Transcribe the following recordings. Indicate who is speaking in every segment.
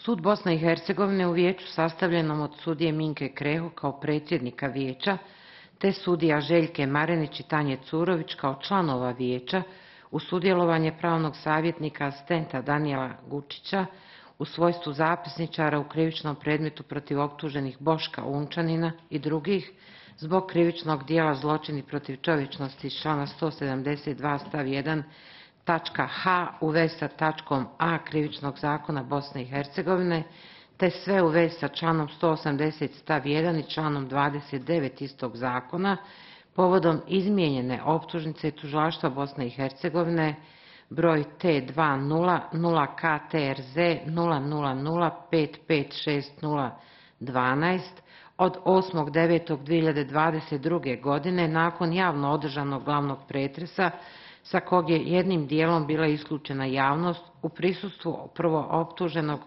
Speaker 1: Sud Bosne i Hercegovine u vijeću sastavljenom od sudije Minke Kreho kao predsjednika vijeća, te sudija Željke Marenić i Tanje Curović kao članova vijeća, u sudjelovanje pravnog savjetnika asistenta Danijela Gučića u svojstvu zapisničara u krivičnom predmetu protiv optuženih Boška Unčanina i drugih zbog krivičnog dijela zločini protiv čovječnosti iz člana 172 stav 1 tačka H u vezi sa tačkom A krivičnog zakona Bosne i Hercegovine, te sve u vezi sa članom 180 stav 1 i članom 29 istog zakona, povodom izmijenjene optužnice tužilaštva Bosne i Hercegovine broj T20-0KTRZ 000556012 od 8.9.2022. godine nakon javno održanog glavnog pretresa sa kog je jednim dijelom bila isključena javnost u prisustvu prvooptuženog,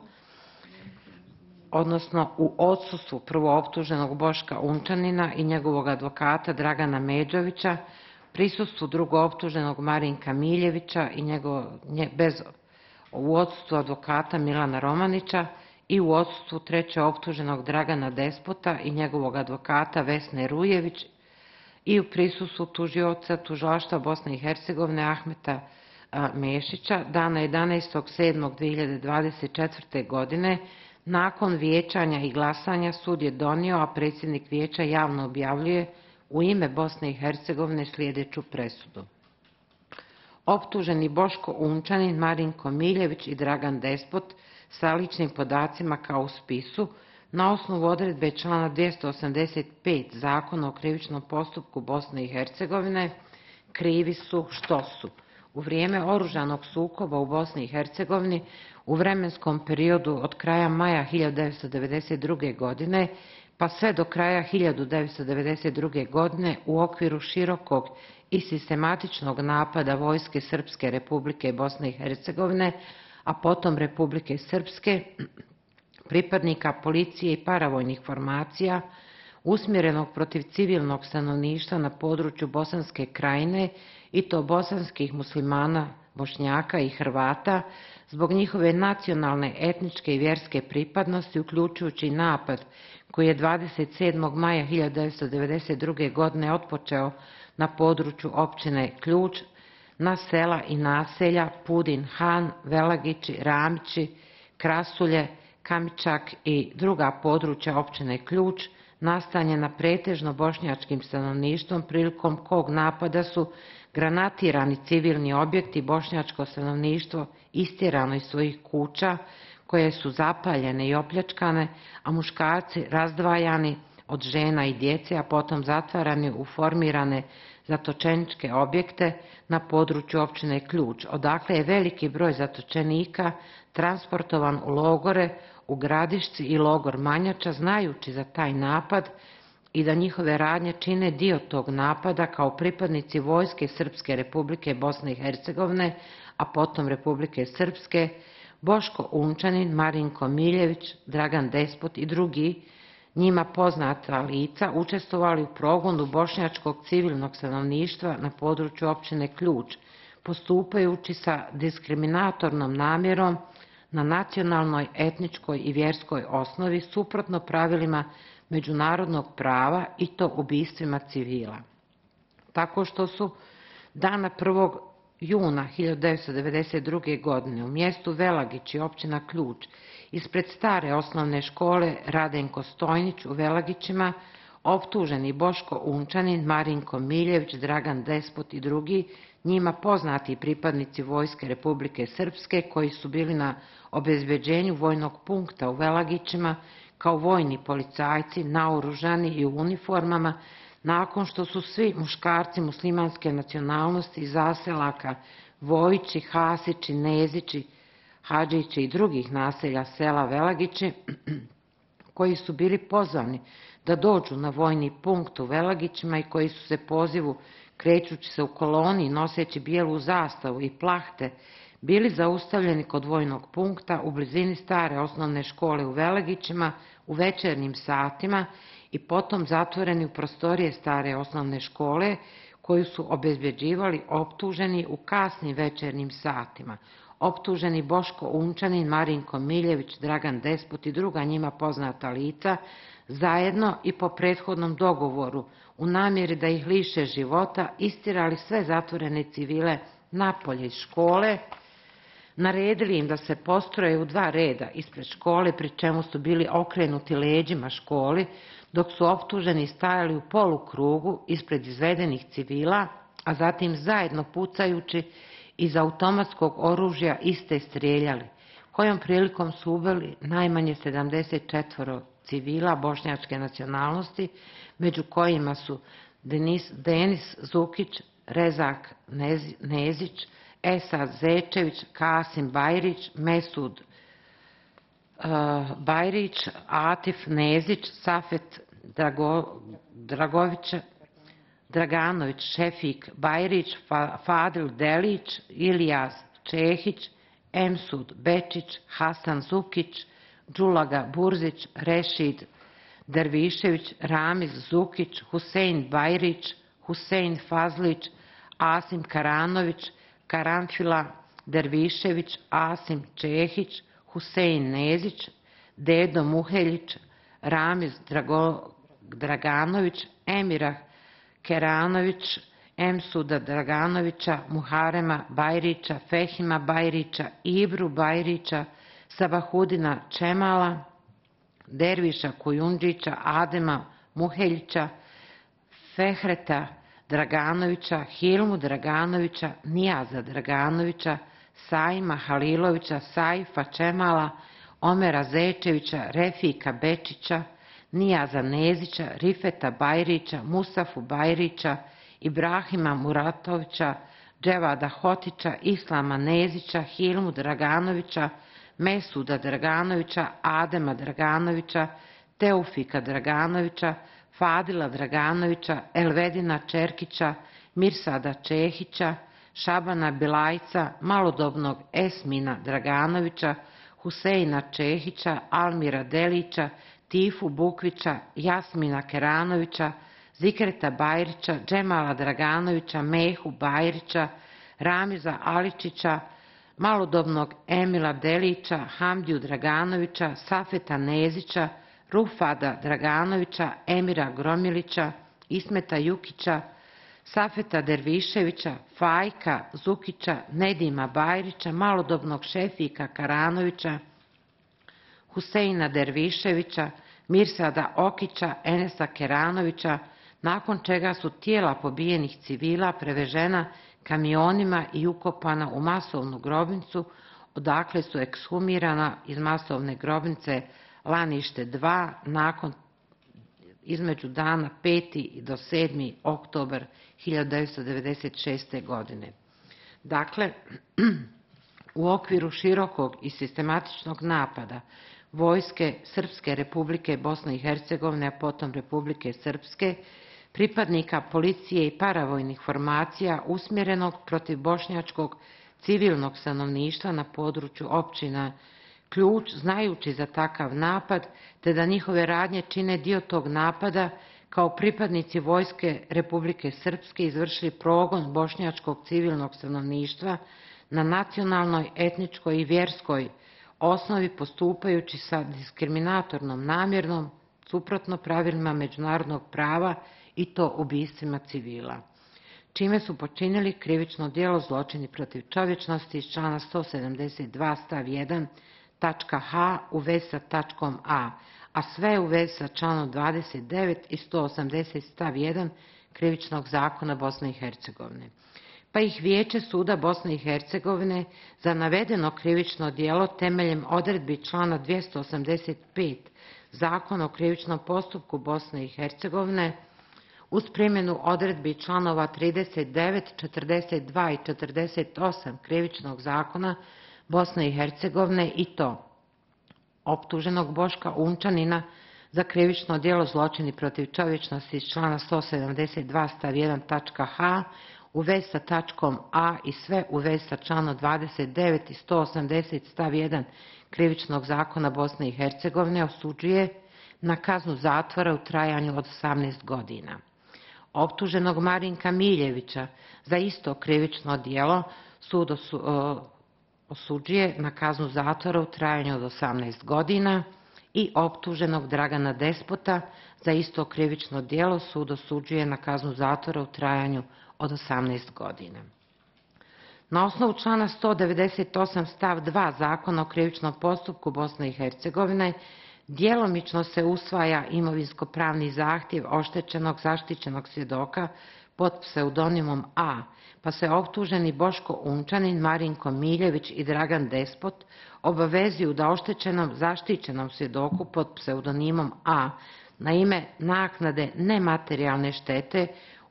Speaker 1: odnosno u odsustvu prvooptuženog Boška Unčanina i njegovog advokata Dragana Međovića, prisustvu drugooptuženog Marinka Miljevića i u odsustvu advokata Milana Romanića i u odsustvu trećeoptuženog Dragana Despota i njegovog advokata Vesne Rujević i u prisustvu tužioca tužilaštva Bosne i Hercegovine Ahmeta Mešića dana 11.7.2024. godine. Nakon vijećanja i glasanja sud je donio, a predsjednik vijeća javno objavljuje u ime Bosne i Hercegovine sljedeću presudu. Optuženi Boško Unčanin, Marinko Miljević i Dragan Despot sa ličnim podacima kao u spisu na osnovu odredbe člana 285 Zakona o krivičnom postupku Bosne i Hercegovine krivi su što su u vrijeme oružanog sukoba u Bosni i Hercegovini u vremenskom periodu od kraja maja 1992. godine pa sve do kraja 1992. godine u okviru širokog i sistematičnog napada Vojske Srpske Republike Bosne i Hercegovine, a potom Republike Srpske, pripadnika policije i paravojnih formacija, usmjerenog protiv civilnog stanovništva na području Bosanske krajine i to bosanskih muslimana, Bošnjaka i Hrvata, zbog njihove nacionalne, etničke i vjerske pripadnosti, uključujući napad koji je 27. maja 1992. godine otpočeo na području općine Ključ, na sela i naselja Pudin Han, Velagići, Ramići, Krasulje, Kamičak i druga područja općine Ključ, nastanjena pretežno bošnjačkim stanovništvom, prilikom kog napada su granatirani civilni objekti, bošnjačko stanovništvo istjerano iz svojih kuća, koje su zapaljene i opljačkane, a muškarci razdvajani od žena i djece, a potom zatvarani u formirane zatočeničke objekte na području općine Ključ, odakle je veliki broj zatočenika transportovan u logore u Gradišci i logor Manjača, znajući za taj napad i da njihove radnje čine dio tog napada kao pripadnici Vojske Srpske Republike Bosne i Hercegovine, a potom Republike Srpske, Boško Unčanin, Marinko Miljević, Dragan Despot i drugi njima poznata lica učestvovali u progonu bošnjačkog civilnog stanovništva na području općine Ključ, postupajući sa diskriminatornom namjerom na nacionalnoj, etničkoj i vjerskoj osnovi suprotno pravilima međunarodnog prava i to ubistvima civila. Tako što su dana 1. juna 1992. godine u mjestu Velagić i općina Ključ ispred stare osnovne škole Radenko Stojnić u Velagićima optuženi Boško Unčanin, Marinko Miljević, Dragan Despot i drugi njima poznati pripadnici Vojske Republike Srpske koji su bili na obezbeđenju vojnog punkta u Velagićima kao vojni policajci naoružani i u uniformama, nakon što su svi muškarci muslimanske nacionalnosti iz zaselaka Vojići, Hasići, Nezići, Hadžići i drugih naselja sela Velagići, koji su bili pozvani da dođu na vojni punkt u Velagićima i koji su se pozivu krećući se u koloni noseći bijelu zastavu i plahte, bili zaustavljeni kod vojnog punkta u blizini stare osnovne škole u Velagićima u večernjim satima i potom zatvoreni u prostorije stare osnovne škole koju su obezbeđivali optuženi u kasnim večernjim satima. optuženi Boško Unčanin, Marinko Miljević, Dragan Despot i druga njima poznata lica, zajedno i po prethodnom dogovoru u namjeri da ih liše života, istirali sve zatvorene civile napolje iz škole, naredili im da se postroje u 2 reda ispred škole, pri čemu su bili okrenuti leđima školi, dok su optuženi stajali u polukrugu ispred izvedenih civila, a zatim zajedno pucajući iz automatskog oružja iste strijeljali, kojom prilikom su ubili najmanje 74 civila bošnjačke nacionalnosti, među kojima su Denis Zukić, Rezak Nezić, Esad Zečević, Kasim Bajrić, Mesud Bajrić, Atif Nezić, Safet Draganović, Šefik Bajrić, Fadil Delić, Ilijas Čehić, Emsud Bečić, Hasan Zukić, Đulaga Burzić, Rešid Dervišević, Ramiz Zukić, Husein Bajrić, Husein Fazlić, Asim Karanović, Karanfila Dervišević, Asim Čehić, Husein Nezić, Dedo Muheljić, Ramiz Draganović, Emirah Keranović, Emsuda Draganovića, Muharema Bajrića, Fehima Bajrića, Ibru Bajrića, Sabahudina Čemala, Derviša Kujundžića, Adema Muheljića, Fehreta Draganovića, Hilmu Draganovića, Nijaza Draganovića, Saima Halilovića, Saifa Čemala, Omera Zečevića, Refika Bečića, Nijaza Nezića, Rifeta Bajrića, Musafu Bajrića, Ibrahima Muratovića, Dževada Hotića, Islama Nezića, Hilmu Draganovića, Mesuda Draganovića, Adema Draganovića, Teufika Draganovića, Fadila Draganovića, Elvedina Čerkića, Mirsada Čehića, Šabana Bilajca, malodobnog Esmina Draganovića, Huseina Čehića, Almira Delića, Tifu Bukvića, Jasmina Keranovića, Zikreta Bajrića, Džemala Draganovića, Mehu Bajrića, Ramiza Aličića, malodobnog Emila Delića, Hamdiju Draganovića, Safeta Nezića, Rufada Draganovića, Emira Gromilića, Ismeta Jukića, Safeta Derviševića, Fajka Zukića, Nedima Bajrića, malodobnog Šefika Karanovića, Huseina Derviševića, Mirsada Okića, Enesa Keranovića, nakon čega su tijela pobijenih civila prevežena kamionima i ukopana u masovnu grobnicu, odakle su ekshumirana iz masovne grobnice Lanište 2 nakon između dana 5. do 7. oktobar 1996. godine. Dakle, u okviru širokog i sistematičnog napada Vojske Srpske Republike Bosne i Hercegovine, a potom Republike Srpske, pripadnika policije i paravojnih formacija usmjerenog protiv bošnjačkog civilnog stanovništva na području općina Ključ, znajući za takav napad, te da njihove radnje čine dio tog napada, kao pripadnici Vojske Republike Srpske izvršili progon bošnjačkog civilnog stanovništva na nacionalnoj, etničkoj i vjerskoj osnovi, postupajući sa diskriminatornom namjernom, suprotno pravilima međunarodnog prava, i to ubistvima civila, čime su počinili krivično djelo zločini protiv čovječnosti iz člana 172 stav 1 tačka H u vezi sa tačkom A, a sve u vezi sa članom 29 i 180 stav 1 krivičnog zakona Bosne i Hercegovine. Pa ih Vijeće suda Bosne i Hercegovine za navedeno krivično djelo temeljem odredbi člana 285 Zakona o krivičnom postupku Bosne i Hercegovine uz primjenu odredbi članova 39, 42 i 48 krivičnog zakona Bosne i Hercegovine, i to optuženog Boška Unčanina za krivično djelo zločini protiv čovječnosti iz člana 172 stav 1 tačka H u vezi sa tačkom A i sve u vezi sa članom 29 i 180 stav 1 krivičnog zakona Bosne i Hercegovine osuđuje na kaznu zatvora u trajanju od 18 godina. Optuženog Marinka Miljevića za isto krivično djelo sud osuđuje na kaznu zatvora u trajanju od 18 godina i optuženog Dragana Despota za isto krivično djelo sud osuđuje na kaznu zatvora u trajanju od 18 godina. Na osnovu člana 198 stav 2 Zakona o krivičnom postupku Bosne i Hercegovine djelomično se usvaja imovinsko-pravni zahtjev oštećenog zaštićenog svjedoka pod pseudonimom A, pa se optuženi Boško Unčanin, Marinko Miljević i Dragan Despot obavezuju da oštećenom zaštićenom svjedoku pod pseudonimom A na ime naknade nematerijalne štete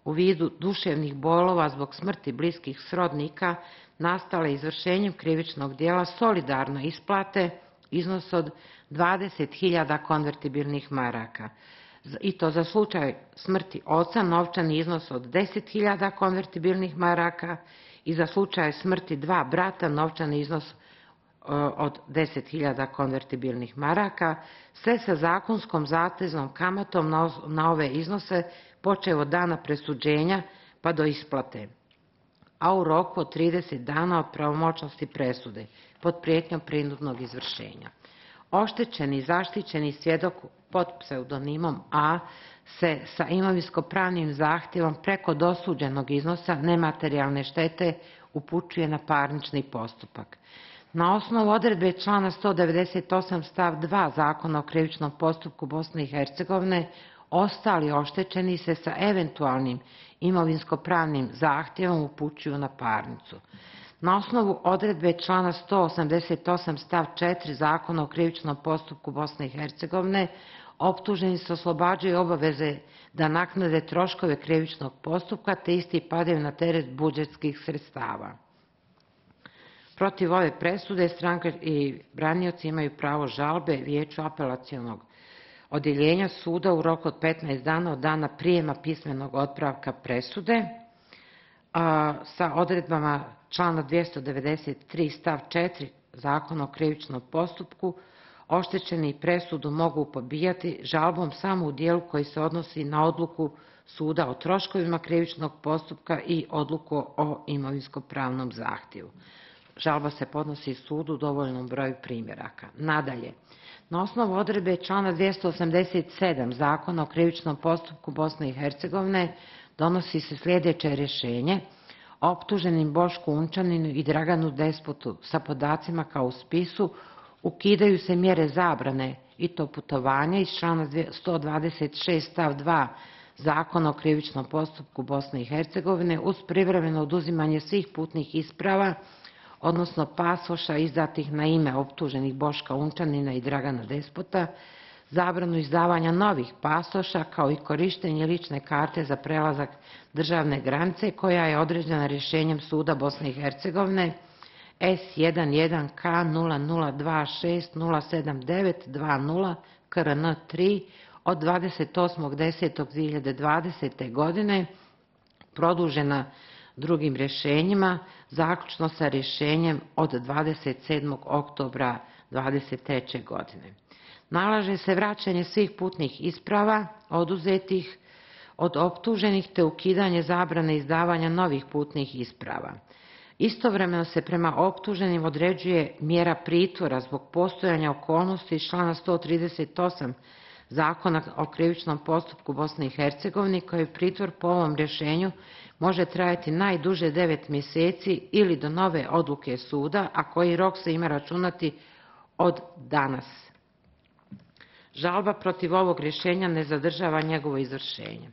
Speaker 1: u vidu duševnih bolova zbog smrti bliskih srodnika nastale izvršenjem krivičnog djela solidarno isplate iznos od 20.000 konvertibilnih maraka. I to za slučaj smrti oca novčani iznos od 10.000 konvertibilnih maraka i za slučaj smrti dva brata novčani iznos od 10.000 konvertibilnih maraka, sve sa zakonskom zateznom kamatom na ove iznose počev od dana presuđenja pa do isplate, a u roku od 30 dana od pravomoćnosti presude pod prijetnjom prinudnog izvršenja. Oštećeni zaštićeni svjedok pod pseudonimom A se sa imovinsko-pravnim zahtjevom preko dosuđenog iznosa nematerijalne štete upućuje na parnični postupak. Na osnovu odredbe člana 198 stav 2 Zakona o krivičnom postupku Bosne i Hercegovine ostali oštećeni se sa eventualnim imovinsko-pravnim zahtjevom upućuju na parnicu. Na osnovu odredbe člana 188 stav 4 Zakona o krivičnom postupku Bosne i Hercegovine optuženi se oslobađaju obaveze da naknade troškove krivičnog postupka te isti padaju na teret budžetskih sredstava. Protiv ove presude stranke i branioci imaju pravo žalbe Vijeću apelacionog odjeljenja suda u roku od 15 dana od dana prijema pismenog otpravka presude, sa odredbama člana 293 stav 4 Zakona o krivičnom postupku oštećeni presudu mogu pobijati žalbom samo u dijelu koji se odnosi na odluku suda o troškovima krivičnog postupka i odluku o imovinsko-pravnom zahtjevu. Žalba se podnosi sudu u dovoljnom broju primjeraka. Nadalje, na osnovu odredbe člana 287 Zakona o krivičnom postupku Bosne i Hercegovine donosi se sljedeće rješenje: optuženim Bošku Unčaninu i Draganu Despotu sa podacima kao u spisu ukidaju se mjere zabrane i to putovanja iz člana 126 stav 2 Zakona o krivičnom postupku Bosne i Hercegovine uz privremeno oduzimanje svih putnih isprava, odnosno pasoša izdatih na ime optuženih Boška Unčanina i Dragana Despota, zabranu izdavanja novih pasoša kao i korištenje lične karte za prelazak državne granice koja je određena rješenjem suda Bosne i Hercegovine S11K0026079020 KRN3 od 28.10.2020. godine, produžena drugim rješenjima, zaključno sa rješenjem od 27. oktobra 2023. godine. Nalaže se vraćanje svih putnih isprava oduzetih od optuženih te ukidanje zabrane izdavanja novih putnih isprava. Istovremeno se prema optuženim određuje mjera pritvora zbog postojanja okolnosti iz člana 138 Zakona o krivičnom postupku Bosne i Hercegovine, koji pritvor po ovom rješenju može trajati najduže 9 mjeseci ili do nove odluke suda, a koji rok se ima računati od danas. Žalba protiv ovog rješenja ne zadržava njegovo izvršenje.